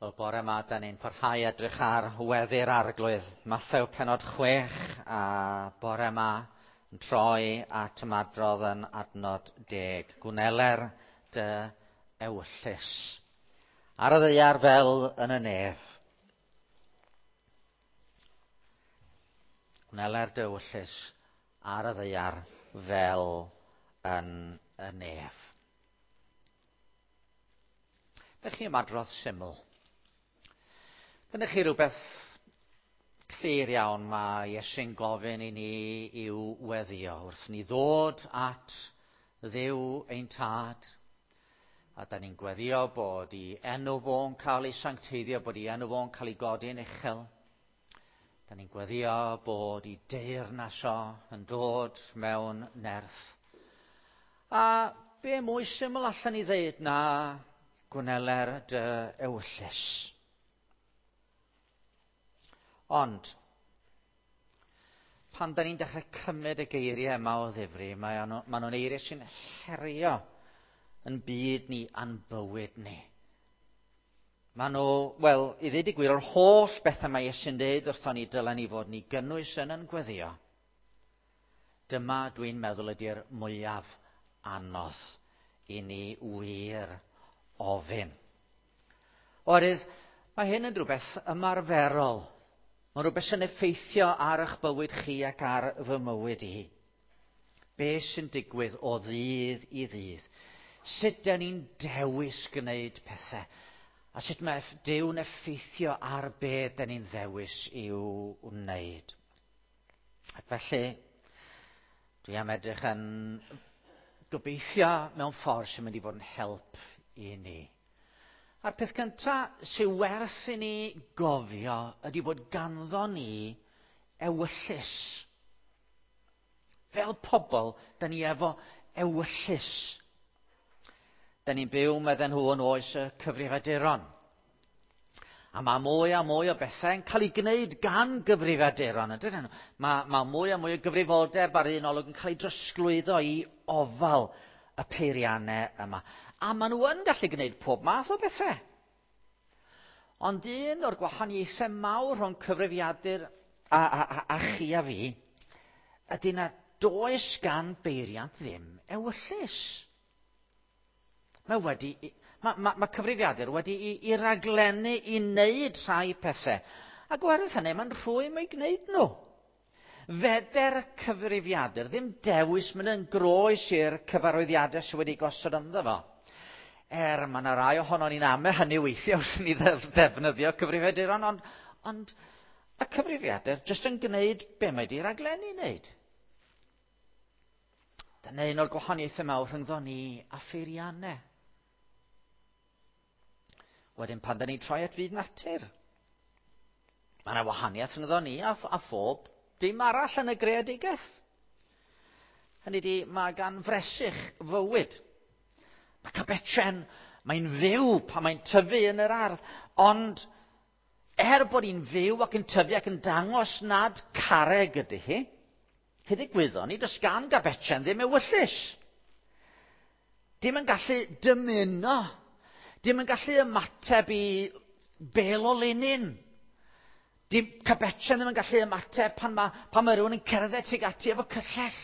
Wel, bore yma, da ni'n parhau edrych ar weddi'r arglwydd. Mathew penod 6 a bore yma yn troi at ymadrodd yn adnod 10. Gwneler dy ewyllys. Ar y ddaear fel yn y nef. Gwneler dy ewyllys ar y ddaear fel yn y nef. Dych chi ymadrodd syml. Gyda chi rhywbeth clir iawn mae Iesu'n gofyn i ni i'w weddio wrth ni ddod at Dduw ein tad. A da ni'n gweddio bod i enw fo'n cael ei sancteiddio, bod i enw fo'n cael ei godi'n uchel. Da ni'n gweddio bod i deyrnas o yn dod mewn nerth. A be mwy syml allan ni ddeud na gwneler dy ewyllys. Ond, pan da ni'n dechrau cymryd y geiriau yma o ddifri, mae nhw, maen nhw'n eiriau sy'n herio yn byd ni a'n bywyd ni. Maen nhw, wel, i ddweud y gwir, o'r holl bethau mae Iesu'n dweud wrthon ni dylen ni fod ni gynnwys yn yn gweddio. Dyma, dwi'n meddwl, ydy'r mwyaf anodd i ni wir ofyn. Oherwydd, mae hyn yn rhywbeth ymarferol. Mae'n rhywbeth sy'n effeithio ar eich bywyd chi ac ar fy mywyd i. Be sy'n digwydd o ddydd i ddydd? Sut dyn ni'n dewis gwneud pethau? A sut mae Duw'n effeithio ar be dyn ni'n ddewis i'w wneud? Ac felly, dwi am edrych yn gobeithio mewn ffordd sy'n mynd i fod yn help i ni. A'r peth cyntaf sy'n werth i ni gofio ydy bod ganddo ni ewyllys. Fel pobl, da ni efo ewyllys. Da ni'n byw, medden nhw, yn oes y cyfrifiaduron. A mae mwy a mwy o bethau yn cael ei gwneud gan gyfrifiaduron, ydyn nhw? Mae, mae mwy a mwy o gyfrifoldeb ar un olwg yn cael ei drosglwyddo i ofal y peiriannau yma. A maen nhw yn gallu gwneud pob math o bethau. Ond un o'r gwahaniaethau mawr rhwng cyfrifiadur a, a, a, a chi a fi ydy na does gan beiriant ddim ewyllys. Mae wedi... Mae, mae, mae cyfrifiadur wedi i, i raglennu i wneud rhai pethau. Ac oherwydd hynny, mae'n rhwym o'i gwneud nhw. Feder cyfrifiadur ddim dewis mynd yn groes i'r cyfarwyddiadau sydd wedi gosod ynddo fo. Er, mae yna rai ohono ni'n ame hynny weithiau wrth ni ddefnyddio cyfrifiaduron, ond, ond y cyfrifiadur jyst yn gwneud be mae di raglennu wneud. Dyna un o'r gwahaniaethau mawr rhyngddo ni a pheiriannau. Wedyn pan da ni'n troi at fyd natur, mae yna wahaniaeth rhyngddo ni a, a phob dim arall yn y greadigaeth. Hynny di, mae gan fresych fywyd. Mae cabetren, mae'n fyw pan mae'n tyfu yn yr ardd, ond er bod hi'n fyw ac yn tyfu ac yn dangos nad carreg ydy hi, Hyd y gwyddon ni, does gan Gabetsen ddim ewyllys. Dim yn gallu dymuno. Dim yn gallu ymateb i bel o linyn. Dim Cabetsen ddim yn gallu ymateb pan mae, pan mae rhywun yn cerdded tuag ati efo cyllell.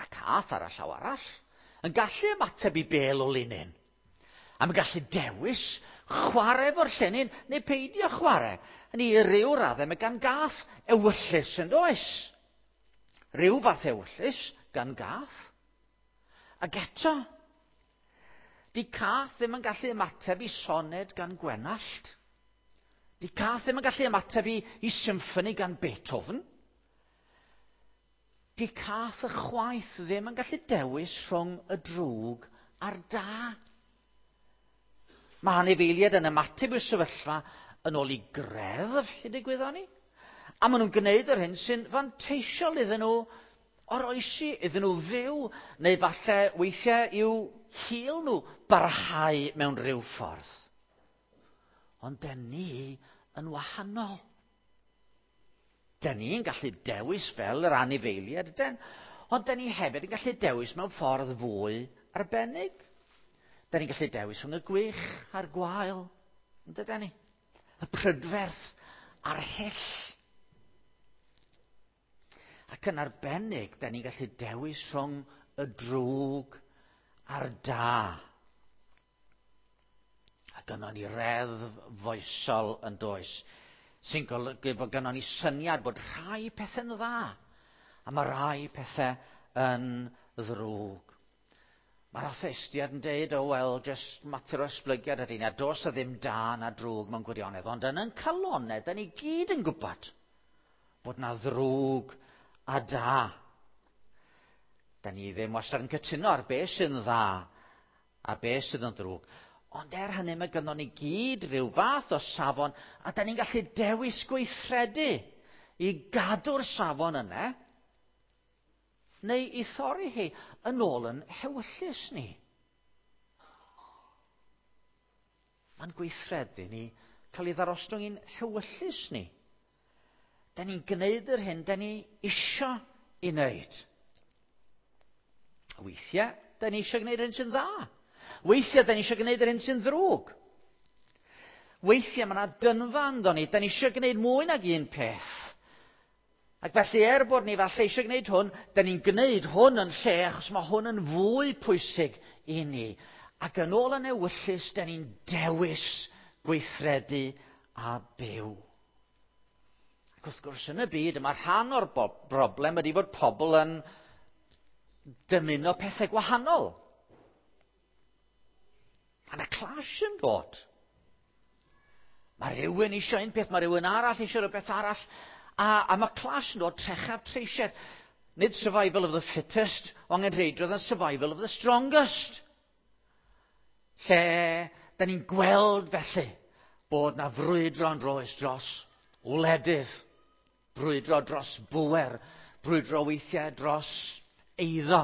Mae cath ar y llaw arall yn gallu ymateb i bel o linyn. A mae'n gallu dewis chwarae efo'r llenyn neu peidio chwarae. Hynny i ryw raddau mae gan gath ewyllys yn does? Rhyw fath ewyllys gan gath. Ac eto, di cath ddim yn gallu ymateb i soned gan Gwenallt. Di cath ddim yn gallu ymateb i, i symffoni gan Beethoven. Di cath y chwaith ddim yn gallu dewis rhwng y drwg a'r da. Mae anifeiliaid yn ymateb i'r sefyllfa yn ôl i greddf, hyd y gwyddon ni. A maen nhw'n gwneud yr hyn sy'n fanteisiol iddyn nhw oroesi, iddyn nhw fyw, neu falle weithiau i'w hil nhw barhau mewn rhyw ffordd. Ond den ni yn wahanol. Den ni'n gallu dewis fel yr anifeiliaid, den, ond den ni hefyd yn gallu dewis mewn ffordd fwy arbennig. Da ni'n gallu dewis rhwng y gwych a'r gwael, yn dydyn ni? Y prydferth a'r hyll. Ac yn arbennig, da ni'n gallu dewis rhwng y drwg a'r da. A gynnon ni reddf foesol yn does, sy'n golygu bod gynnon ni syniad bod rhai pethau'n dda, a mae rhai pethau yn ddrwg. Mae'r atheistiad yn deud, oh well, just mater o esblygiad ydy, na dos a ddim da na drwg mewn gwirionedd. Ond yn yn calonau, da ni gyd yn gwybod bod na ddrwg a da. Da ni ddim wastad yn cytuno ar beth sy'n dda a beth sydd yn ddrwg. Ond er hynny mae gynnon ni gyd rhyw fath o safon a da ni'n gallu dewis gweithredu i gadw'r safon yna neu i thorri hi yn ôl yn hewyllys ni. Mae'n gweithredu ni cael ei ddarostwng i'n hewyllys ni. Da ni'n gwneud yr hyn da ni isio i wneud. Weithiau, da ni eisiau gwneud yr hyn sy'n dda. Weithiau, da ni eisiau gwneud yr hyn sy'n ddrwg. Weithiau, mae yna dynfa ynddo ni. Da ni eisiau gwneud mwy nag un peth. Ac felly, er bod ni falle eisiau gwneud hwn, da ni'n gwneud hwn yn lle, achos mae hwn yn fwy pwysig i ni. Ac yn ôl yn ewyllys, da ni'n dewis gweithredu a byw. Ac wrth gwrs, yn y byd, mae rhan o'r broblem ydy bod pobl yn dymuno pethau gwahanol. Mae yna clash yn dod. Mae rhywun eisiau un peth, mae rhywun arall eisiau rhywbeth arall. A, a mae clash yn dod trechaf treisiad. Nid survival of the fittest, ond angenrheidrwydd yn survival of the strongest. Lle da ni'n gweld felly bod na frwydro yn roes dros wledydd, brwydro dros bwer, brwydro weithiau dros eiddo,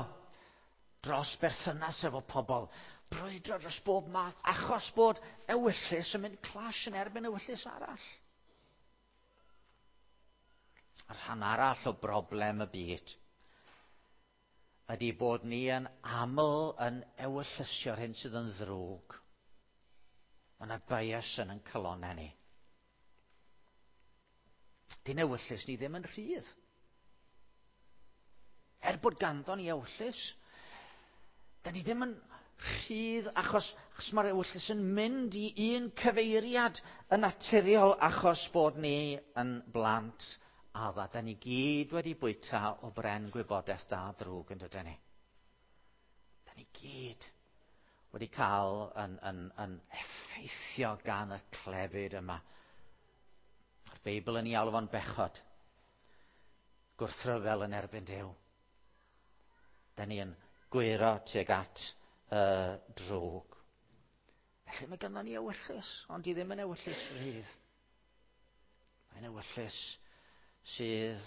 dros berthynas efo pobl, brwydro dros bob math, achos bod ewyllys yn mynd clash yn erbyn ewyllys arall. A rhan arall o broblem y byd ydy bod ni yn aml yn ewyllysio'r hyn sydd yn ddrwg. Mae yna bias yn yn calonau ni. Dyn ewyllys ni ddim yn rhydd. Er bod ganddo ni ewyllys, da ni ddim yn rhydd achos, achos mae'r ewyllys yn mynd i un cyfeiriad yn naturiol achos bod ni yn blant adda. Da ni gyd wedi bwyta o bren gwybodaeth da drwg yn dydyn ni. Da ni gyd wedi cael yn, yn, yn effeithio gan y clefyd yma. Mae'r Beibl yn ei alw fo'n bechod. Gwrthryfel yn erbyn Duw. Da ni yn gwyro tuag at y drwg. Felly mae ganddo ni ewyllys, ond di ddim yn ewyllys rhydd. Mae'n ewyllys sydd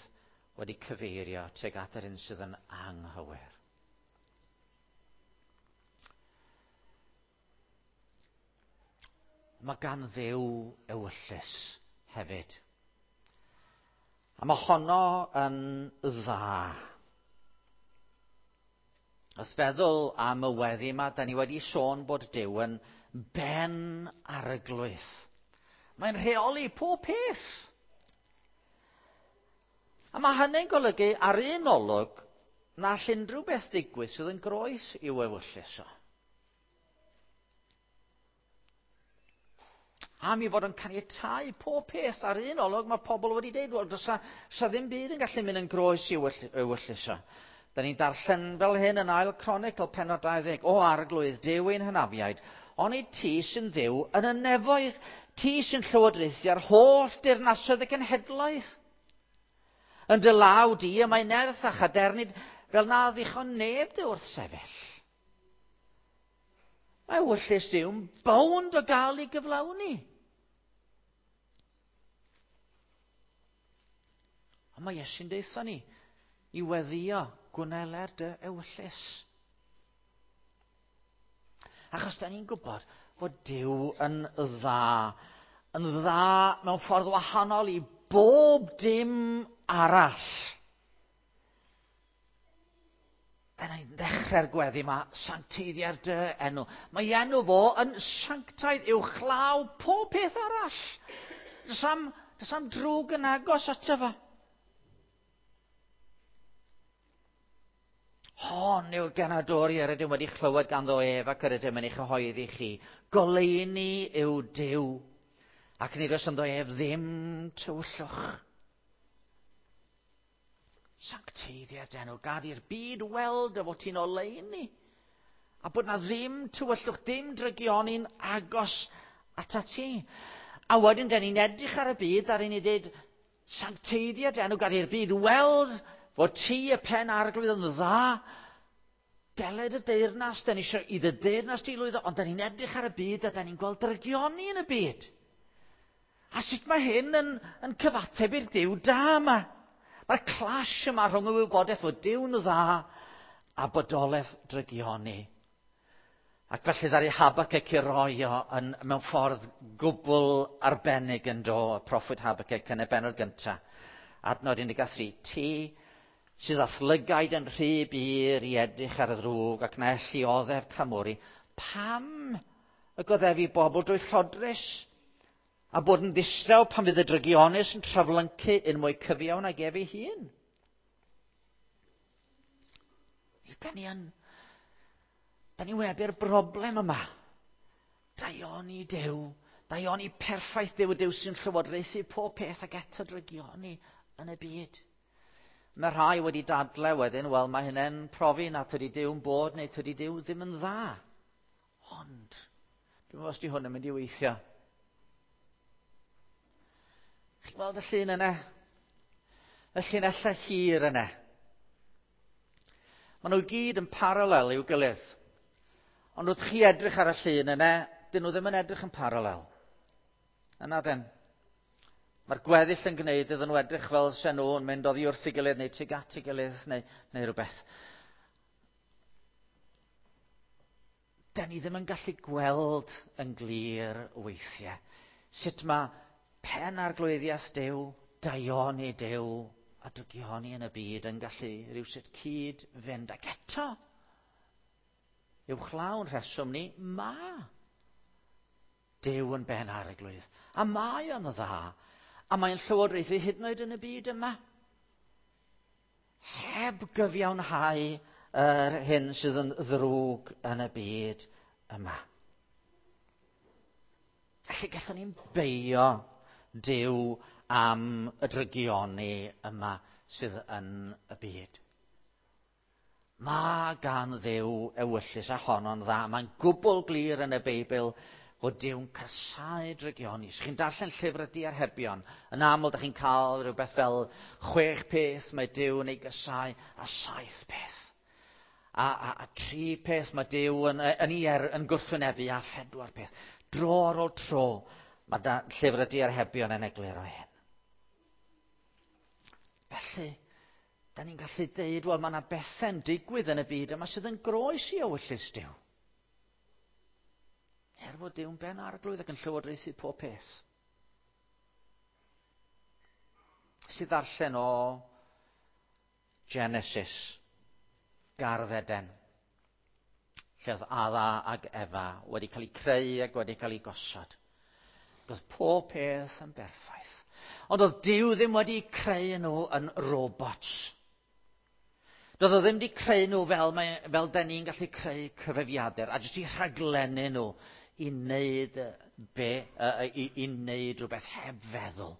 wedi cyfeirio tuag at yr un sydd yn anghywir. Mae gan Dduw ewyllys hefyd. A mae honno yn dda. Os feddwl am y weddi yma, da ni wedi sôn bod Duw yn ben arglwydd. Mae'n rheoli pob peth. A mae hynny'n golygu ar un olwg na all unrhyw beth ddigwydd sydd yn groes i'w ewyllys o. Am i fod yn caniatáu pob peth ar un olwg, mae pobl wedi dweud, wel, does sa ddim byd yn gallu mynd yn groes i'w ewyllys o. Da ni'n darllen fel hyn yn ail Chronicle penod 20. O arglwydd, Duw ein hynafiaid, onid ti sy'n ddiw yn y nefoedd, ti sy'n llywodraethu ar holl dirnasoedd y cenhedloedd. Yn dy law di y mae nerth a chadernid fel na ddichon neb dy wrth sefyll. Mae ewyllys Duw'n bownd o gael ei gyflawni. Ond mae Iesu'n deutha ni i weddio gwneler dy ewyllys. Achos da ni'n gwybod bod Duw yn dda. Yn dda mewn ffordd wahanol i bob dim arall. Da ni'n ddechrau'r gweddi yma, sancteiddia'r dy enw. Mae enw fo yn sanctaidd uwchlaw pob peth arall. Does am, does am drwg yn agos ato fo. Hon yw'r genadwri yr ydym wedi chlywed ganddo ef ac yr ydym yn ei chyhoeddi chi. Goleuni yw Duw, ac nid oes ynddo ef ddim tywyllwch. Sancteiddiad enw, gad i'r byd weld y fod ti'n oleuni, a bod na ddim tywyllwch, dim drygioni'n agos atat ti. A wedyn, den ni'n edrych ar y byd, a ni'n dweud, sancteiddiad enw, gad i'r byd weld fod ti y pen arglwydd yn dda, deled y deyrnas, da ni eisiau i dy deyrnas di lwyddo, ond da ni'n edrych ar y byd a da ni'n gweld drygioni yn y byd. A sut mae hyn yn, yn cyfateb i'r Duw da yma? Mae'r clash yma rhwng y wybodaeth fod Duw'n dda a bodolaeth drygioni. Ac felly ddaru Habakkuk i roi o yn, mewn ffordd gwbl arbennig yn do, y proffwyd Habakkuk yn y bennod gyntaf. Adnod 13. Ti sydd â thlygaid yn rhy bur i edrych ar y ddrwg ac na elli oddef camwri, pam y goddefi bobl drwy llodrus a bod yn ddistaw pan fydd y drygionus yn traflyncu yn mwy cyfiawn ag ef ei hun? Da ni yn... Da ni'n wynebu'r broblem yma. Daioni Duw, daioni perffaith Duw, y Duw sy'n llywodraethu pob peth ac eto drygioni yn y byd. Mae rhai wedi dadle wedyn, wel mae hynny'n profi na tydi Duw'n bod neu tydi Duw ddim yn dda. Ond, dwi'n meddwl os di hwn yn mynd i weithio. Chi'n gweld y llun yna? Y llinellau hir yna. Maen nhw gyd yn paralel i'w gilydd. Ond wrth chi edrych ar y llun yna, dyn nhw ddim yn edrych yn paralel. Yna den. Mae'r gweddill yn gwneud iddyn nhw edrych fel se nhw yn mynd oddi wrth ei gilydd neu tuag at ei gilydd neu, neu rhywbeth. Da ni ddim yn gallu gweld yn glir weithiau sut mae pen arglwyddiaeth Duw, daioni Duw a drygioni yn y byd yn gallu rhywsut cyd fynd. Ac eto, uwchlaw'n rheswm ni, ma Duw yn ben arglwydd. A mae o'n dda. A mae'n llywodraethu hyd yn oed yn y byd yma. Heb gyfiawnhau yr hyn sydd yn ddrwg yn y byd yma. Felly gallwn ni'n beio Duw am y drygioni yma sydd yn y byd. Mae gan Dduw ewyllys a honno'n dda. Mae'n gwbl glir yn y Beibl fod Duw'n casáu drygioni. Os chi'n darllen llyfr y diarhebion, yn aml da chi'n cael rhywbeth fel chwech peth mae Duw yn ei gasáu a saith peth. A, a, a tri peth mae Duw yn, yn, ei er, yn gwrthwynebu a phedwar peth. Dro ar ôl tro, mae da, llyfr y diarhebion yn egluro hyn. Felly, da ni'n gallu deud, wel, mae yna bethau'n digwydd yn y byd yma sydd yn groes i ewyllys Duw. Er fod Duw'n ben arglwydd ac yn llywodraethu pob peth. Sydd ddarllen o Genesis, Gardd Eden, lle oedd Adda ac Efa wedi cael eu creu ac wedi cael eu gosod. Oedd pob peth yn berffaith. Ond oedd Duw ddim wedi creu nhw yn robots. Doedd o ddim wedi creu nhw fel, mae, fel da ni'n gallu creu cyfrifiadur, a jyst i rhaglennu nhw i wneud, be, i, i wneud rhywbeth heb feddwl.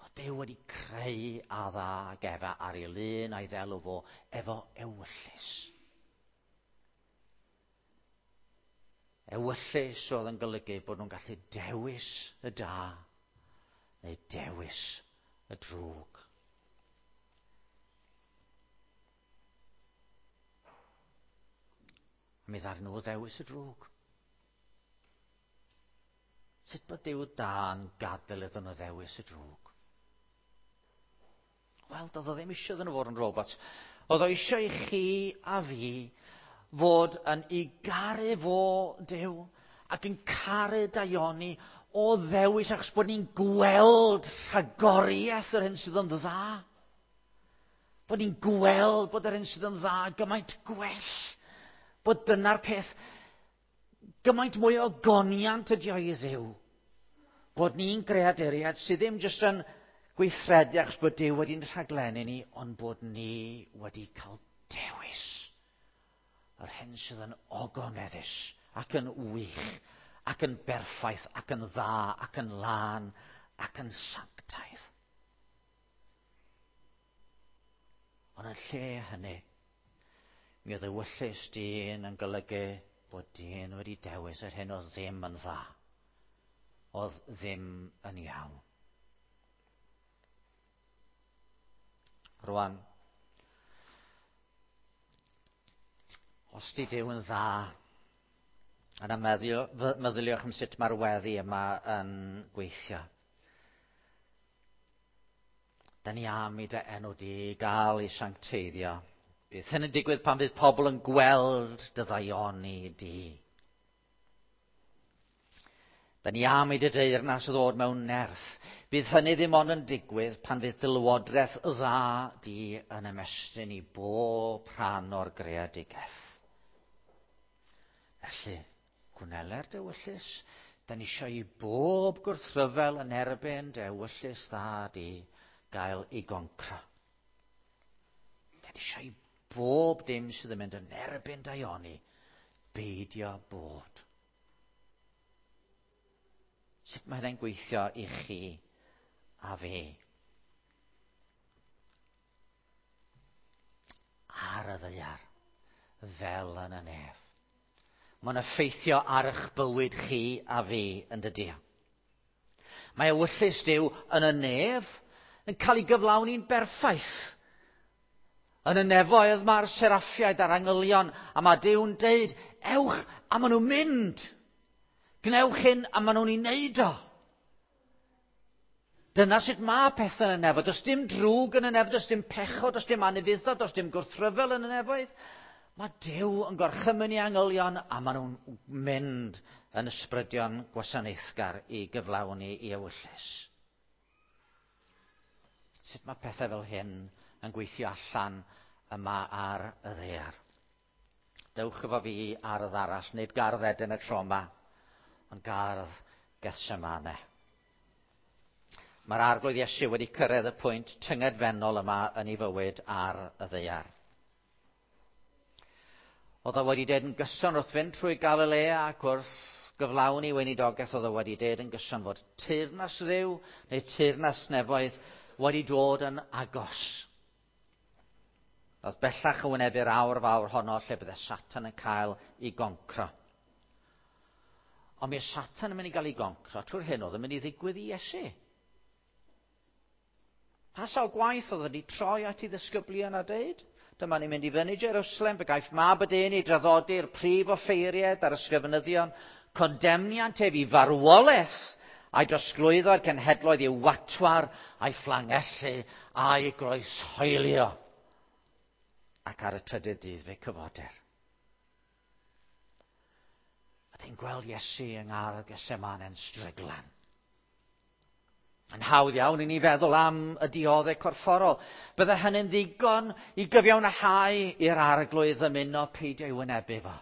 Oedd Duw wedi creu Adda ac Efa ar ei lun a'i ddelw fo efo ewyllys. Ewyllys oedd yn golygu bod nhw'n gallu dewis y da neu dewis y drwg. A mi ddaru nhw ddewis y drwg. Sut bod Duw da'n gadael iddyn nhw ddewis y drwg? Wel, doedd o ddim eisiau iddyn nhw fod yn robots. Oedd o eisiau i chi a fi fod yn i garu fo Duw ac yn caru daioni o ddewis achos bod ni'n gweld rhagoriaeth yr hyn sydd yn dda. Bod ni'n gweld bod yr hyn sydd yn dda gymaint gwell. Bod dyna'r peth gymaint mwy o goniant ydi o i Dduw. Bod ni'n greaduriaid sydd ddim jyst yn gweithredu achos bod Duw wedi'n rhaglennu ni, ond bod ni wedi cael dewis yr hyn sydd yn ogoneddus ac yn wych ac yn berffaith ac yn dda ac yn lân ac yn sanctaidd. Ond yn lle hynny, mi oedd ewyllys dyn yn golygu bod dyn wedi dewis yr hyn oedd ddim yn dda, oedd ddim yn iawn. Rwan, os di Duw yn dda, yna meddyliwch am sut mae'r weddi yma yn gweithio. Da ni am i dy enw di gael ei sancteiddio. Bydd hyn yn digwydd pan fydd pobl yn gweld dy ddaioni di. Da ni am i dy deyrnas ddod mewn nerth. Bydd hynny ddim ond yn digwydd pan fydd dy lywodraeth dda di yn ymestyn i bob rhan o'r greadigaeth. Felly, gwneler dy ewyllys, da ni eisiau i bob gwrthryfel yn erbyn dy ewyllys dda di gael ei goncro. Da ni eisiau i bob dim sydd yn mynd yn erbyn daioni beidio bod. Sut mae hynny'n gweithio i chi a fi? Ar y ddaear, fel yn y nef. Mae'n effeithio ar eich bywyd chi a fi yn dydy. Mae ewyllys Duw yn y nef yn cael ei gyflawni'n berffaith. Yn y nefoedd mae'r seraffiaid a'r angylion, a mae Duw'n deud, ewch, a maen nhw'n mynd. Gwnewch hyn, a maen nhw'n ei wneud o. Dyna sut mae pethau yn y nefoedd. Does dim drwg yn y nefoedd, does dim pechod, does dim anufuddod, does dim gwrthryfel yn y nefoedd. Mae Duw yn gorchymyn i angylion, a maen nhw'n mynd yn ysbrydion gwasanaethgar i gyflawni i ewyllys. Sut mae pethau fel hyn yn gweithio allan yma ar y ddaear? Dewch efo fi ardd arall, nid gardd Eden y tro yma, ond gardd Gethsemane. Mae'r Arglwydd Iesu wedi cyrraedd y pwynt tyngedfennol yma yn ei fywyd ar y ddaear. Oedd o wedi dweud yn gyson wrth fynd trwy Galilea ac wrth gyflawni weinidogaeth, oedd o wedi dweud yn gyson fod teyrnas Dduw neu teyrnas nefoedd wedi dod yn agos. Oedd bellach yn wynebu'r awr fawr honno lle bydde Satan yn cael ei goncro. Ond mi oedd Satan yn mynd i gael ei goncro trwy'r hyn oedd yn mynd i ddigwydd i Iesu. Pa sawl gwaith oedd wedi troi at ei ddisgyblion a deud? Dyma ni'n mynd i fyny Jerusalem, fe gaiff mab y dyn ei draddodi'r prif offeiriaid a'r ysgrifenyddion, condemniant ef i farwolaeth, a'i drosglwyddo i'r cenhedloedd i'w watwar, a'i fflangellu, a'i groeshoelio. Ac ar y trydydd dydd fe cyfoder. A ti'n gweld Iesu yng ngardd Gethsemane yn stryglan. Yn hawdd iawn i ni feddwl am y dioddef corfforol. Bydde hynny'n ddigon i gyfiawnhau i'r Arglwydd ddymuno peidio i wynebu fo.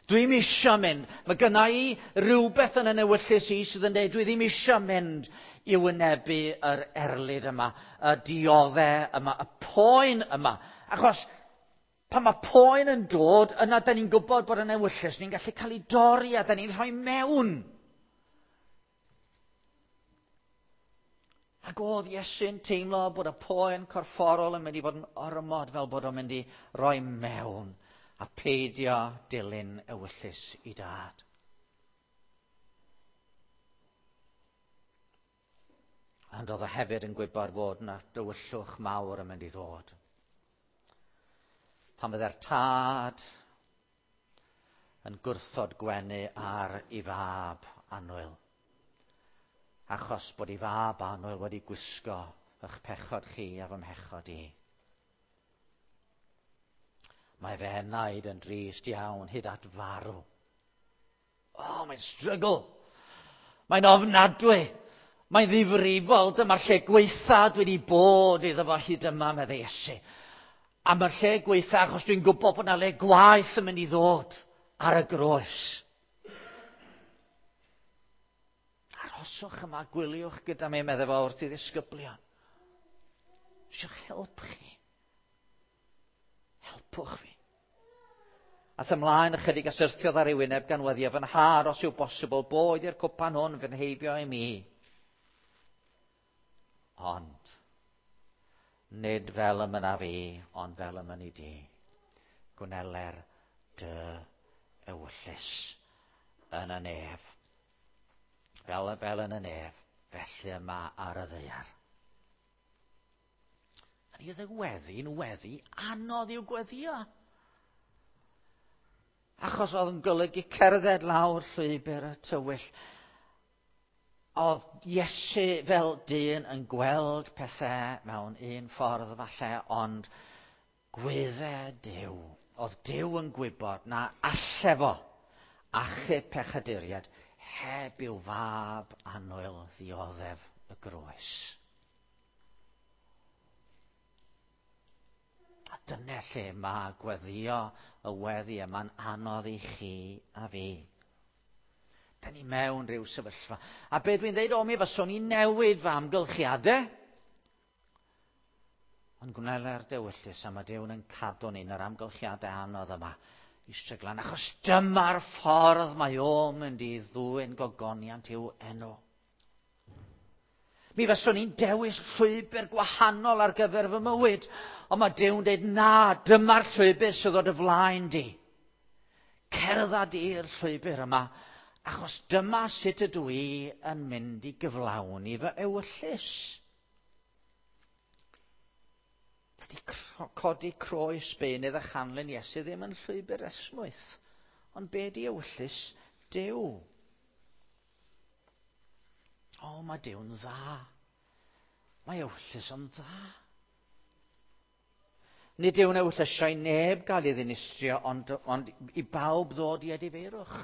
Dwi'm isio mynd. Mae gynna i rywbeth yn y newyllys i sydd yn dweud dwi ddim isio mynd i wynebu yr erlid yma, y dioddef yma, y poen yma. Achos pan mae poen yn dod, yna da ni'n gwybod bod y newyllys ni'n gallu cael ei dorri a da ni'n rhoi mewn. Ac oedd Iesu'n teimlo bod y poen corfforol yn mynd i fod yn ormod fel bod o'n mynd i roi mewn a peidio dilyn ewyllys i dad. Ond oedd o hefyd yn gwybod fod yna dywyllwch mawr yn mynd i ddod. Pan fydde'r tad yn gwrthod gwenu ar ei fab annwyl. Achos bod ei fab annwyl wedi gwisgo eich pechod chi a fy mhechod i. Mae fe enaid yn drist iawn hyd at farw. O, mae'n struggle. Mae'n ofnadwy. Mae'n ddifrifol. Dyma'r lle gwaetha dwi wedi bod iddo fo hyd yma, meddai Iesu. Am y lle gweitha, achos dwi'n gwybod bod yna le gwaeth yn mynd i ddod ar y groes. Arhoswch yma, gwyliwch gyda mi, meddai fo wrth i ddisgyblion. Eisiau help chi. Helpwch fi. Ath ymlaen ychydig a syrthiodd ar ei wyneb gan weddio fy nhad os yw bosibl, boed i'r cwpan hwn fy nheibio i mi. Ond, nid fel y mynaf fi, ond fel y mynni di. Gwneler dy ewyllys yn y nef. Fel, fel yn y nef, felly yma ar y ddaear. A ni oedd y weddi'n weddi anodd i'w gweddio. Achos oedd yn golygu cerdded lawr llwybr y tywyll. Oedd Iesu fel dyn yn gweld pethau mewn un ffordd falle, ond gwydde Duw. Oedd Duw yn gwybod na alle fo achub pechaduriaid heb i'w fab annwyl ddioddef y groes. A dyna lle mae gweddio y weddi yma'n anodd i chi a fi. Da ni mewn rhyw sefyllfa. A be dwi'n dweud, o mi fyswn i newid fy amgylchiadau. Ond gwneler dewyllys a mae Duw'n yn cadw ni yn yr amgylchiadau anodd yma i stryglan. Achos dyma'r ffordd mae o'n mynd i ddwyn gogoniant i'w enw. Mi fyswn i'n dewis llwybr gwahanol ar gyfer fy mywyd. Ond mae Duw'n dweud, na, dyma'r llwybr sydd o dy flaen di. Cerdded i'r llwybr yma, achos dyma sut ydw i yn mynd i gyflawni fy ewyllys. Dydy codi croes beunydd a chanlyn Iesu ddim yn llwybr esmwyth, ond be di ewyllys Duw? O, mae Duw'n dda. Mae ewyllys yn dda. Nid yw'n ewyllysio i neb gael ei ddinistrio, ond, ond i bawb ddod i edifeirwch.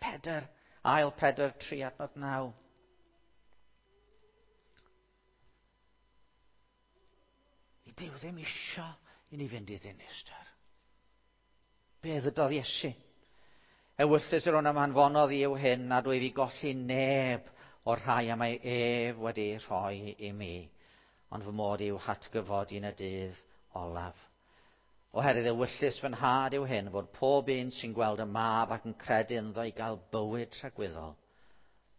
Pedr, ail Pedr 3 adnod 9. Nid yw ddim isio i ni fynd i ddinistr. Be ddydodd Iesu? Ewyllys yr hwn am anfonodd i yw hyn, nad wyf i golli neb o'r rhai am mae ef wedi rhoi i mi, ond fy mod i'w hatgyfodi yn y dydd olaf. Oherwydd ewyllys fy nhad yw hyn, fod pob un sy'n gweld y mab ac yn credu ynddo i gael bywyd tragwyddol,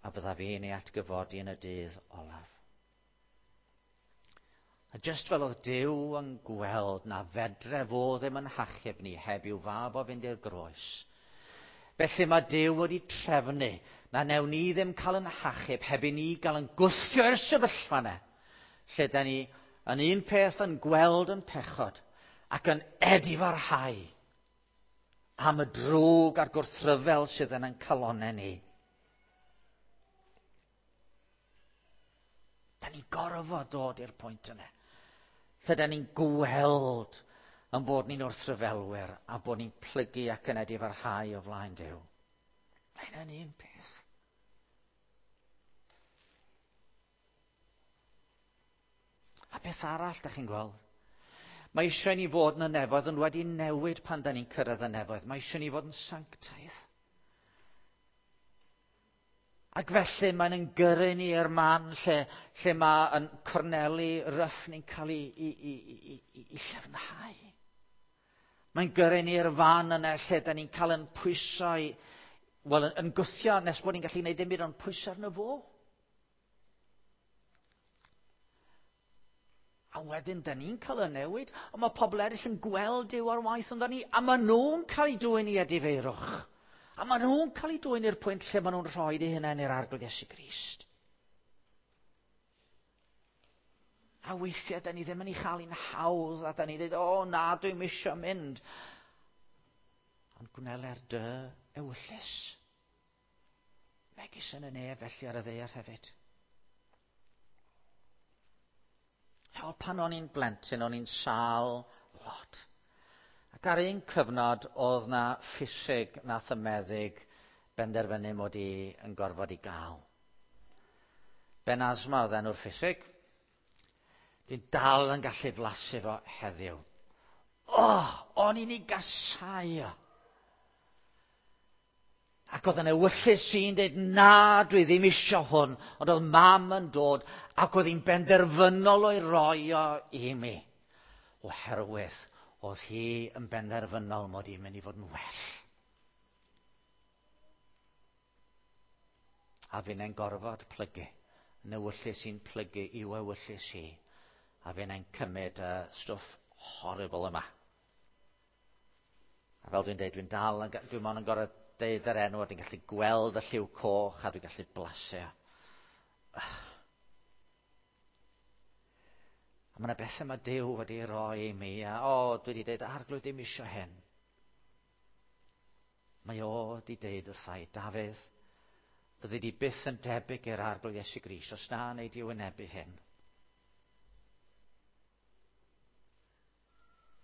a byddaf i'n ei atgyfodi yn y dydd olaf. A jyst fel oedd Duw yn gweld na fedre fo ddim yn hachub ni heb i'w fab o fynd i'r groes. Felly mae Duw wedi trefnu na newn ni ddim cael yn hachub heb i ni gael yn gwthio i'r sefyllfa yna. Lle da ni yn un peth yn gweld yn pechod ac yn edifarhau am y drwg a'r gwrthryfel sydd yn ein calonnau ni. Da ni'n gorfod dod i'r pwynt yna. Lle da ni'n gweld yn bod ni'n wrthryfelwyr a bod ni'n plygu ac yn edifarhau o flaen Duw. Mae hynny'n un peth. A beth arall da chi'n gweld? Mae eisiau ni fod yn y nefoedd ond wedi newid pan da ni'n cyrraedd y nefoedd. Mae eisiau ni fod yn sanctaidd. Ac felly mae'n yn gyrru ni i'r man lle, lle mae yn corneli ryff ni'n cael ei, i, i, i, i, i llefnhau. Mae'n gyrru ni i'r fan yna lle da ni'n cael yn pwyso i, wel, yn, yn gwthio nes bod ni'n gallu gwneud dim byd ond pwyso arno fo. A wedyn, da ni'n cael y newid, ond mae pobl eraill yn gweld Duw ar waith ynddo ni, a maen nhw'n cael eu dwyn i edifeirwch. A maen nhw'n cael eu dwyn i'r pwynt lle maen nhw'n rhoi eu hunain i'r Arglwydd Iesu Grist. A weithiau, da ni ddim yn ei chael hi'n hawdd, a da ni'n dweud, o na, dwi'n misio mynd. Ond gwneler dy ewyllys. Megis yn y nef, felly ar y ddaear hefyd. O, pan o'n i'n blentyn, o'n i'n sâl lot. Ac ar un cyfnod, oedd na ffisig nath y meddyg benderfynu mod i yn gorfod i gael. Ben Asma oedd enw'r ffisig. Dwi'n dal yn gallu flasu fo heddiw. O, o'n i'n ei gasau o. Ac oedd yn ewyllys i'n dweud, na, dwi ddim isio hwn. Ond oedd mam yn dod ac oedd hi'n benderfynol o'i roi o i mi. Oherwydd oedd hi yn benderfynol mod i'n mynd i fod yn well. A finnau'n gorfod plygu. Yn ewyllys i'n plygu i'w ewyllys hi. A finnau'n cymryd y stwff horrible yma. A fel dwi'n dweud, dwi'n dal, dwi'n mond yn gorfod deud yr enw, a dwi'n gallu gweld y lliw coch, a dwi'n gallu blasu. A mae yna bethau mae Duw wedi roi i mi, a o, dwi wedi dweud, Arglwydd, dim isio hyn. Mae o wedi deud wrtha i, Dafydd, fyddi di byth yn debyg i'r Arglwydd Iesu Grist os na wnei di wynebu hyn.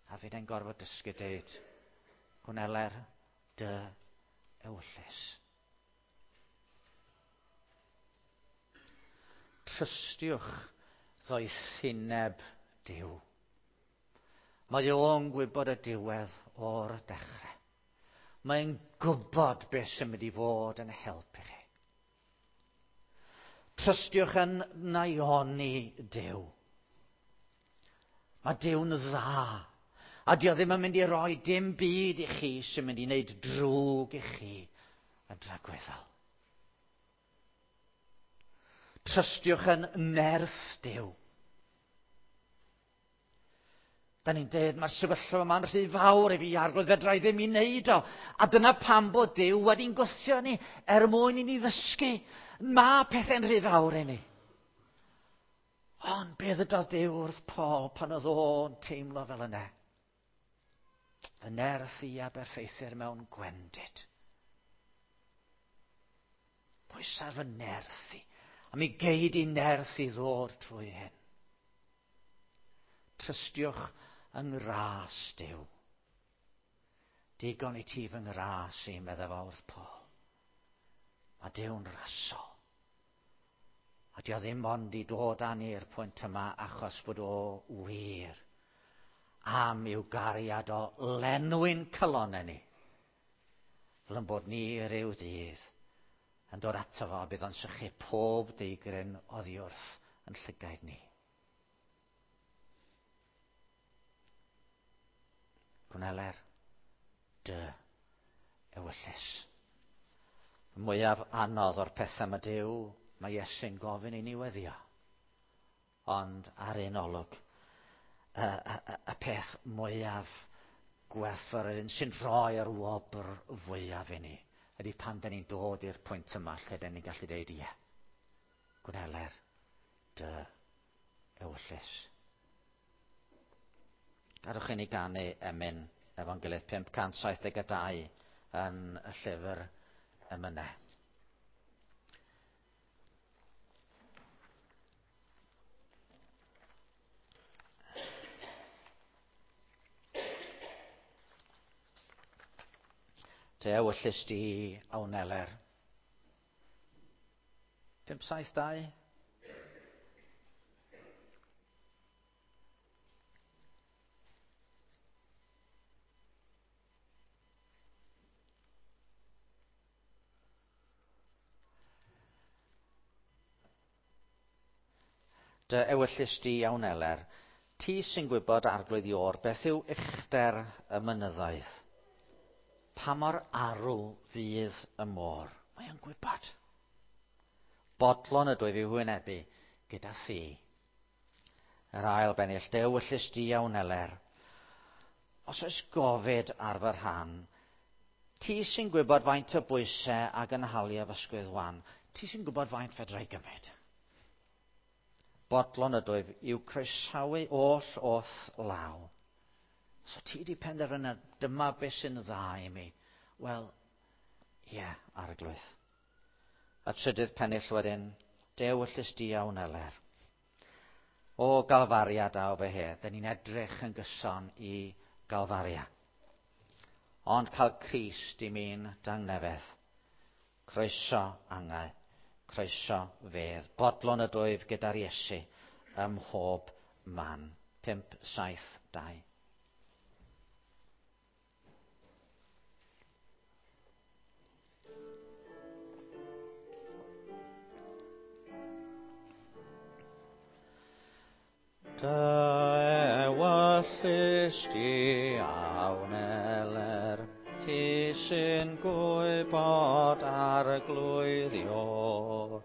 A fi'n gorfod dysgu deud, gwneler dy ewyllys. Trystiwch ddoethineb Duw. Mae o'n gwybod y diwedd o'r dechrau. Mae'n gwybod beth sy'n mynd i fod yn helpu chi. Trystiwch yn naioni Duw. Mae Duw'n dda. A dio ddim yn mynd i roi dim byd i chi sy'n mynd i wneud drwg i chi yn dragwyddol. Trystiwch yn nerth Duw. Da ni'n dweud, mae'r sefyllfa yma'n rhy fawr i fi, Arglwydd, fedra i ddim i wneud o. A dyna pam bod Duw wedi'n gwthio ni er mwyn i ni ddysgu. Mae pethau'n rhy fawr i ni. Ond be ddydodd Duw wrth Paul pan oedd o'n teimlo fel yna? Fy nerth i a berffeithir mewn gwendid. Pwysa fy nerth i. A mi gei di nerth i ddod trwy hyn. Trystiwch yng ngras Duw. Digon i ti fy ngras i, medda fo wrth Paul. Mae Duw'n rasol. A dio ddim ond i dod â ni i'r pwynt yma achos bod o wir am i'w gariad o lenwi'n calonnau ni. Fel yn bod ni ryw ddydd yn dod ato fo a bydd o'n sychu pob deigryn oddi wrth yn llygaid ni. Gwneler dy ewyllys. Y mwyaf anodd o'r pethau mae Duw, mae Iesu'n gofyn i ni weddio. Ond ar un olwg, y, y, y peth mwyaf gwerthfawr, yr un sy'n rhoi'r wobr fwyaf i ni, ydy pan da ni'n dod i'r pwynt yma lle da ni'n gallu dweud ie. Gwneler dy ewyllys. Gadwch i ni ganu emyn efo'n gilydd 572 yn y llyfr emynau. Dy ewyllys di a wneler. 572. Dy ewyllys di a wneler, ti sy'n gwybod Arglwydd Iôr beth yw uchder y mynyddoedd. Pa mor arw fydd y môr? Mae o'n gwybod. Bodlon ydwyf i'w hwynebu gyda thi. Yr ail bennill, dy ewyllys di a wneler. Os oes gofid ar fy rhan, ti sy'n gwybod faint o bwysau a gynhalia fy ysgwydd wan, ti sy'n gwybod faint fedra i gymryd. Bodlon ydwyf i'w croesawu oll o'th law. So ti di penderfynu dyma beth sy'n dda i mi. Wel, ie, yeah, Arglwydd. A trydydd pennill wedyn, dy ewyllys di a wneler. O Galfaria daw fy hedd, dyn ni'n edrych yn gyson i Galfaria. Ond cael Crist i mi'n dangnefedd. Croeso angau, croeso fedd. Bodlon ydwyf gyda'r Iesu ym mhob man. 5, 7, 2. Dy ewyllys di a wneler, ti sy'n gwybod Arglwydd Iôr.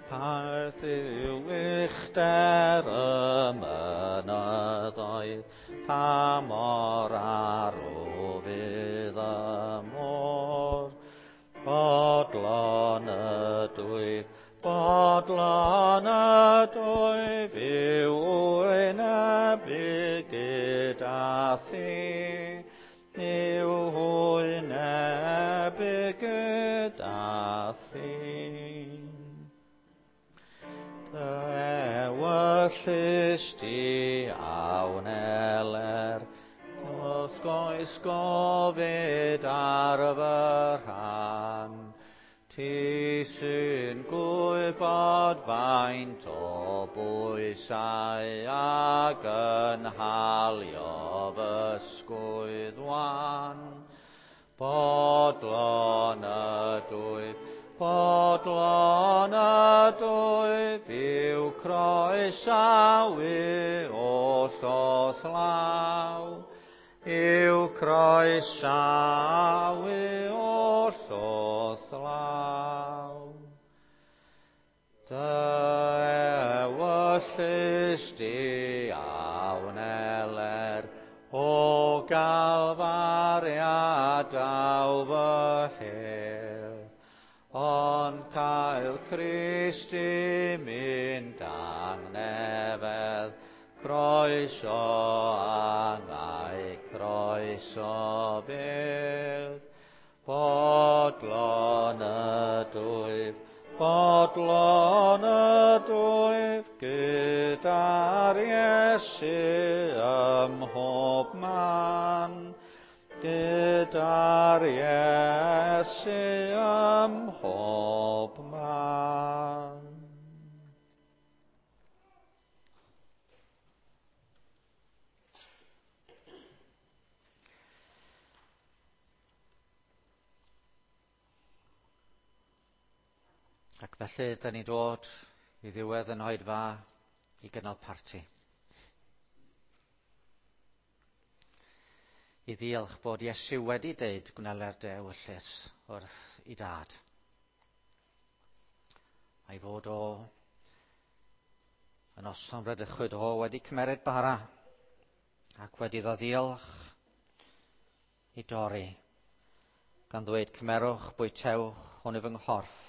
Parth yw uchder y mynyddoedd, pa mor arw fydd y môr. Bodlon ydwyf, bodlon ydwyf i'w wynebu gyda thi, i'w wynebu gyda thi. Dy ewyllys di a wneler, does goes gofid ar fy rhan. Ti sy'n gwybod faint o bwysau a gynhalio fy sgwydd wan. Bodlon ydwyf, bodlon ydwyf i'w croesawu oll o'th law, i'w croesawu oll o'th law. Dy ewyllys di a wneler, o Galfaria daw fy hel, ond cael Crist i mynd angnefedd, croeso angau, croeso bydd. Bodlon ydwyf, bodlon ydwyf, gyda'r Iesu ym mhob man, gyda'r Iesu ym mhob man. Ac felly, da ni'n dod i ddiwedd yn oedfa i gynnal parti. I ddiolch bod Iesu wedi deud gwneler dy ewyllys wrth i dad. A'i fod o yn noson bradychwyd o wedi cymeryd bara ac wedi iddo ddiolch i dorri, gan ddweud cymerwch, bwytewch, hwn yw fy nghorff,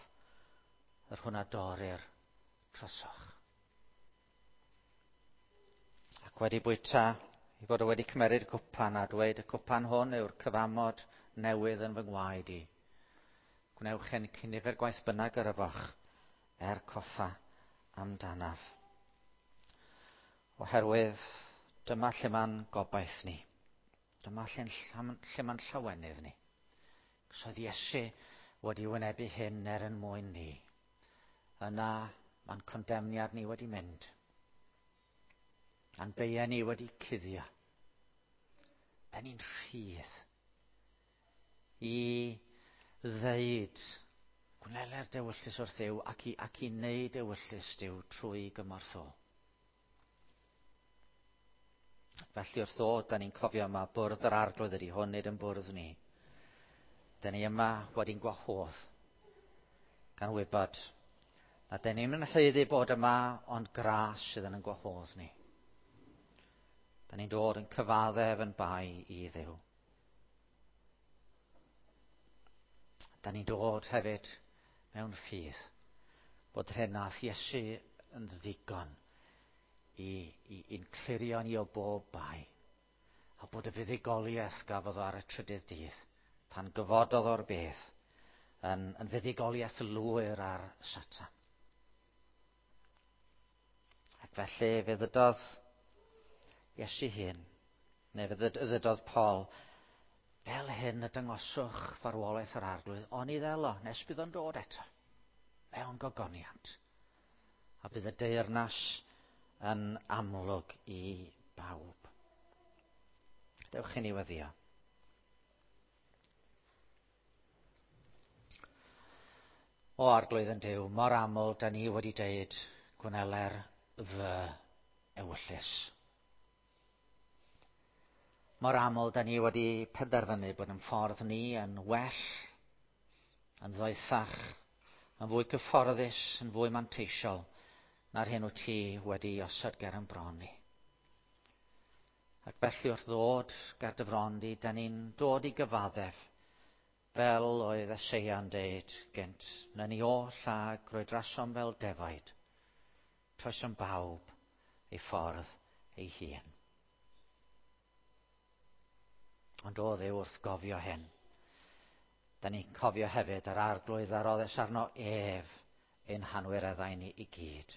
yr hwn a dorrir trosoch. Ac wedi bwyta, i fod o wedi cymeryd y cwpan a dweud y cwpan hwn yw'r cyfamod newydd yn fy ngwaed i. Gwnewch hyn cyn nifer gwaith bynnag yr yfoch, er coffa amdanaf. Oherwydd dyma lle ma'n gobaith ni. Dyma lle ma'n llawenydd ni. Cos oedd Iesu wedi wynebu hyn er yn mwyn ni. Yna ma'n condemniad ni wedi mynd. A'n beiau ni wedi cuddio. Da ni'n rhydd i ddeud gwneler dewyllys wrth Dduw ac i wneud ewyllys Duw trwy gymorth o. Felly wrth ddod, da ni'n cofio yma bwrdd yr Arglwydd ydy hwn, nid yn bwrdd ni. Da ni yma wedi'n gwahodd gan wybod na da ni'n yn haeddu bod yma, ond gras sydd yn gwahodd ni. Da ni'n dod yn cyfaddef yn bai i Dduw. Da ni'n dod hefyd mewn ffydd bod yr hyn nath Iesu yn ddigon i'n clirio ni o bob bai, a bod y fuddugoliaeth gafodd o ar y trydydd dydd, pan gyfododd o'r bedd, yn fuddugoliaeth lwyr ar Satan. Ac felly fe ddydodd Iesu hyn, neu fe ddydodd Paul, fel hyn y dangoswch farwolaeth yr Arglwydd, oni ddelo, nes bydd o'n dod eto, mewn gogoniant. A bydd y deyrnas yn amlwg i bawb. Dewch i ni weddio. O Arglwydd yn Duw, mor aml da ni wedi deud gwneler fy ewyllys. Mor aml da ni wedi penderfynu bod yn ffordd ni yn well, yn ddoethach, yn fwy cyfforddus, yn fwy manteisiol na'r hyn wyt ti wedi osod ger yn bron ni. Ac felly wrth ddod ger dy fron di, da ni'n dod i gyfaddef fel oedd Eseia'n deud gynt, na ni oll a grwydrasom fel defaid, troesom bawb ei ffordd ei hun. Ond o Dduw wrth gofio hyn, da ni'n cofio hefyd yr arglwydd a roddes arno ef ein hanwireddau ni i gyd.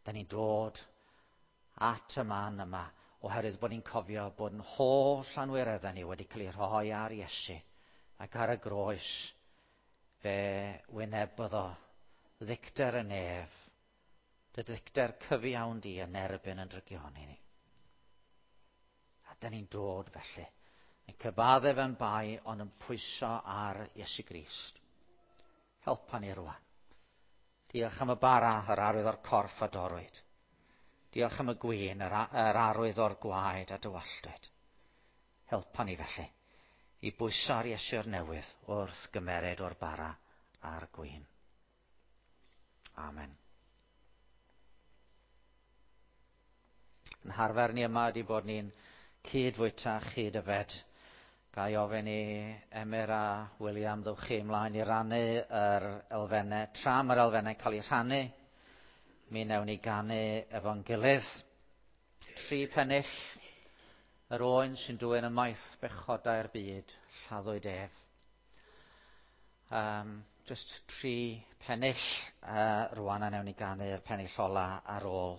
Da ni'n dod at y man yma oherwydd bod ni'n cofio bod yn holl anwireddau ni wedi cael ei rhoi ar Iesu ac ar y groes fe wynebodd o ddicter y nef, dy ddicter cyfiawn di yn erbyn yn drygioni ni. A da ni'n dod felly, yn cyfaddef yn bai ond yn pwyso ar Iesu Grist. Helpa ni rwan. Diolch am y bara, yr arwydd o'r corff a dorrwyd. Diolch am y gwin, yr, yr arwydd o'r gwaed a dywalltwyd. Helpa ni felly i bwyso ar Iesu'r newydd wrth gymered o'r bara a'r gwin. Amen. Yn harfer ni yma ydy bod ni'n cyd-fwyta, cyd-yfed. Ga i ofyn i Emyr a William ddewch chi ymlaen i rannu yr elfennau. Tra mae'r elfennau'n cael eu rhannu, mi wnewn ni ganu efo'n gilydd. 3 pennill, yr oen sy'n dwyn ymaith bechodau'r byd, lladdwyd ef. Just 3 pennill rwan a wnewn ni ganu'r pennill ola ar ôl.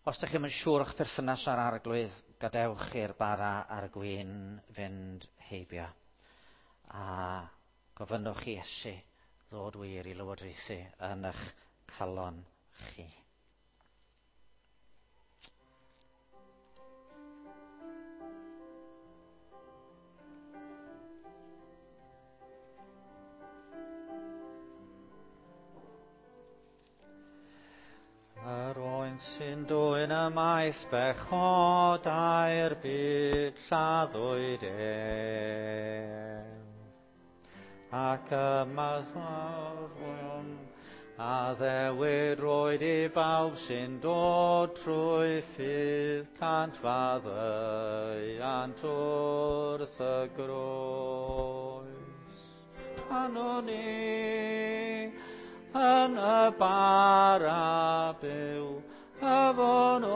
Os ydych chi'm yn siŵr o'ch perthynas â'r arglwydd, gadewch i'r bara a'r gwin fynd heibio. A gofynnwch i Iesu ddod wir i lywodraethu yn eich calon chi. Yr oen sy'n dwyn ymaith bechodau'r byd lladdwyd ef. Ac ymadrodd addewid roed i bawb sy'n dod trwy ffydd cant faddeuant wrth y groes. Rhannwn ni yn y bara byw, yfwn o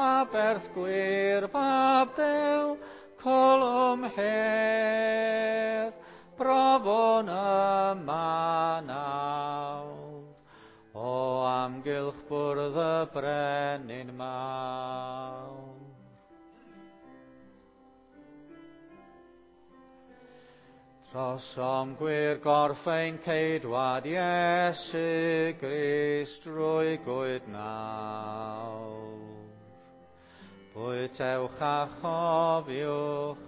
aberth gwir fab Duw, colwm hedd, brofwn yma nawr, o amgylch bwrdd y brenin mawr. Trosom gwir gorff ein ceidwad Iesu Grist drwy gwyd nawr. Bwytewch a chofiwch,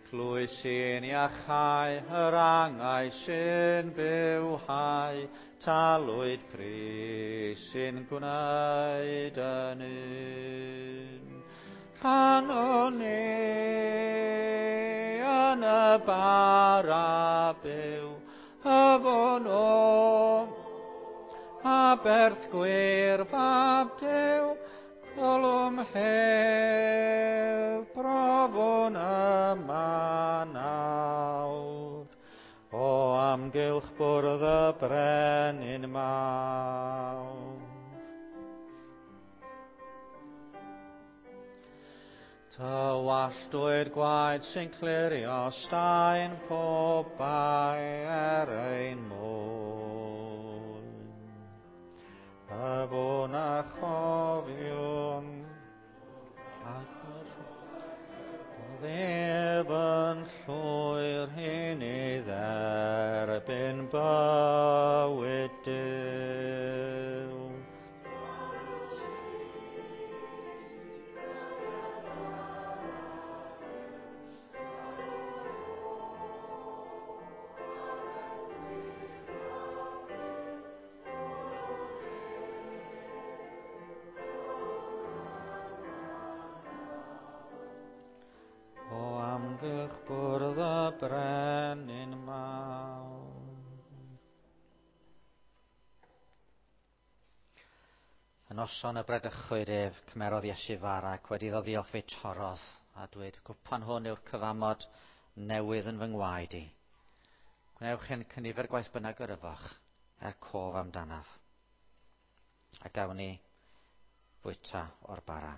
plwy sy'n iachau, yr angau sy'n bywhau, talwyd Crist sy'n gwneud yn un. Rhannwn ni yn y bara byw, yfwn o aberth gwir fab Duw, colwm hedd, brofwn yma nawr, o amgylch bwrdd y brenin mawr. Tywalltwyd gwaed sy'n clirio staen pob bai er ein mwyn. Yfwn a chofiwn, ac ef yn llwyr hyn i dderbyn bywyd Duw. bwrdd y brenin mawr. Y noson y bredychwyd ef, cymerodd Iesu fara ac wedi iddo ddiolch fe torrodd a dweud, cwpan hwn yw'r cyfamod newydd yn fy ngwaed i. Gwnewch hyn cynifer gwaith bynnag yr yfach, er cof amdanaf. A gawn ni fwyta o'r bara.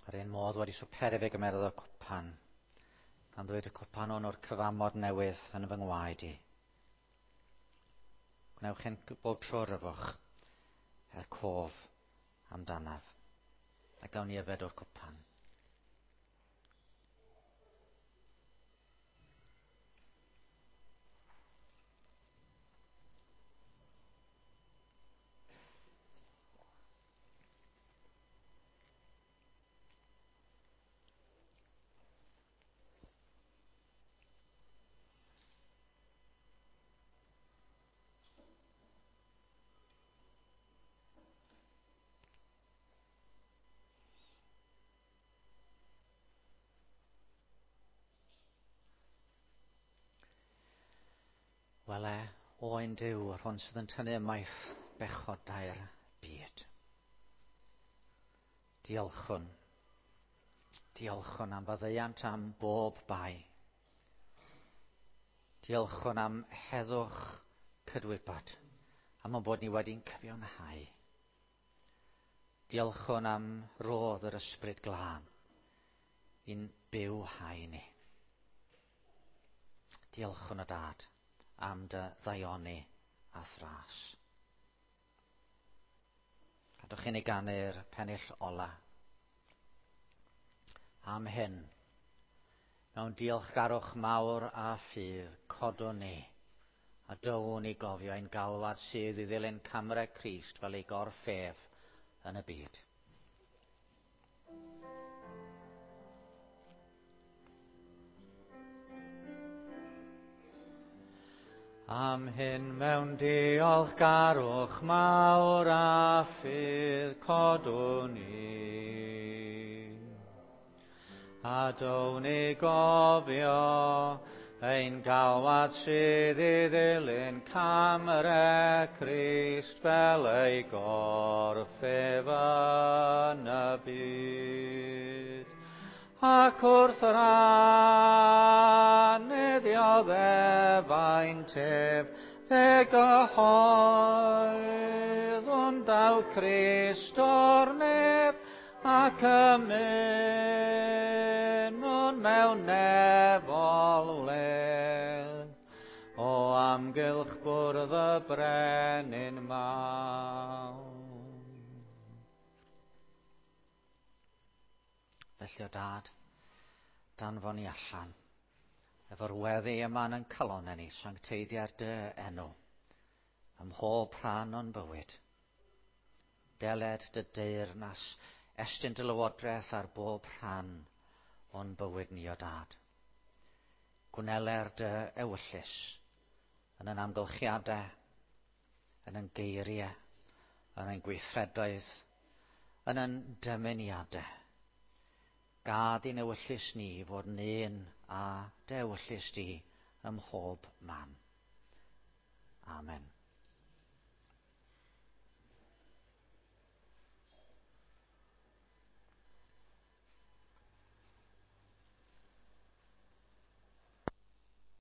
Yr un modd wedi swperu fe gymerodd y cwpan, gan ddweud y cwpan hwn o'r cyfamod newydd yn fy ngwaed i. Gwnewch hyn bob tro ryfwch, er cof amdanaf, a gawn ni yfed o'r cwpan. Wele, oen Duw, yr hwn sydd yn tynnu ymaith bechodau'r byd. Diolchwn. Diolchwn am faddeuant am bob bai. Diolchwn am heddwch cydwybod, am ein bod ni wedi'n cyfiawnhau. Diolchwn am rodd yr ysbryd glân i'n bywhau ni. Diolchwn o dad am dy ddaioni a thras. Gadwch i ni ganu'r pennill ola. Am hyn, mewn diolchgarwch mawr a ffydd, codwn ni a dywn i gofio ein galwad sydd i ddilyn camre Crist fel ei gorff ef yn y byd. Am hyn mewn diolchgarwch mawr a ffydd codwn ni. A down i gofio ein galwad sydd i ddilyn camre Crist fel ei gorff ef yn y byd. Ac wrth rannu dioddefau'n tef, fe gyhoeddwn daw Crist o'r nef, ac ymunwn mewn nefol wledd, o amgylch bwrdd y brenin mawr. Felly o dad, danfon ni allan, efo'r weddi yma yn calonau ni, sancteiddia'r dy enw, ym mhob rhan o'n bywyd. Deled dy deyrnas, estyn dy lywodraeth ar bob rhan o'n bywyd ni o dad. Gwneler dy ewyllys yn ein amgylchiadau, yn ein geiriau, yn ein gweithredoedd, yn ein dymuniadau. Gad i'n ewyllys ni fod yn un a dy ewyllys di ym mhob man. Amen.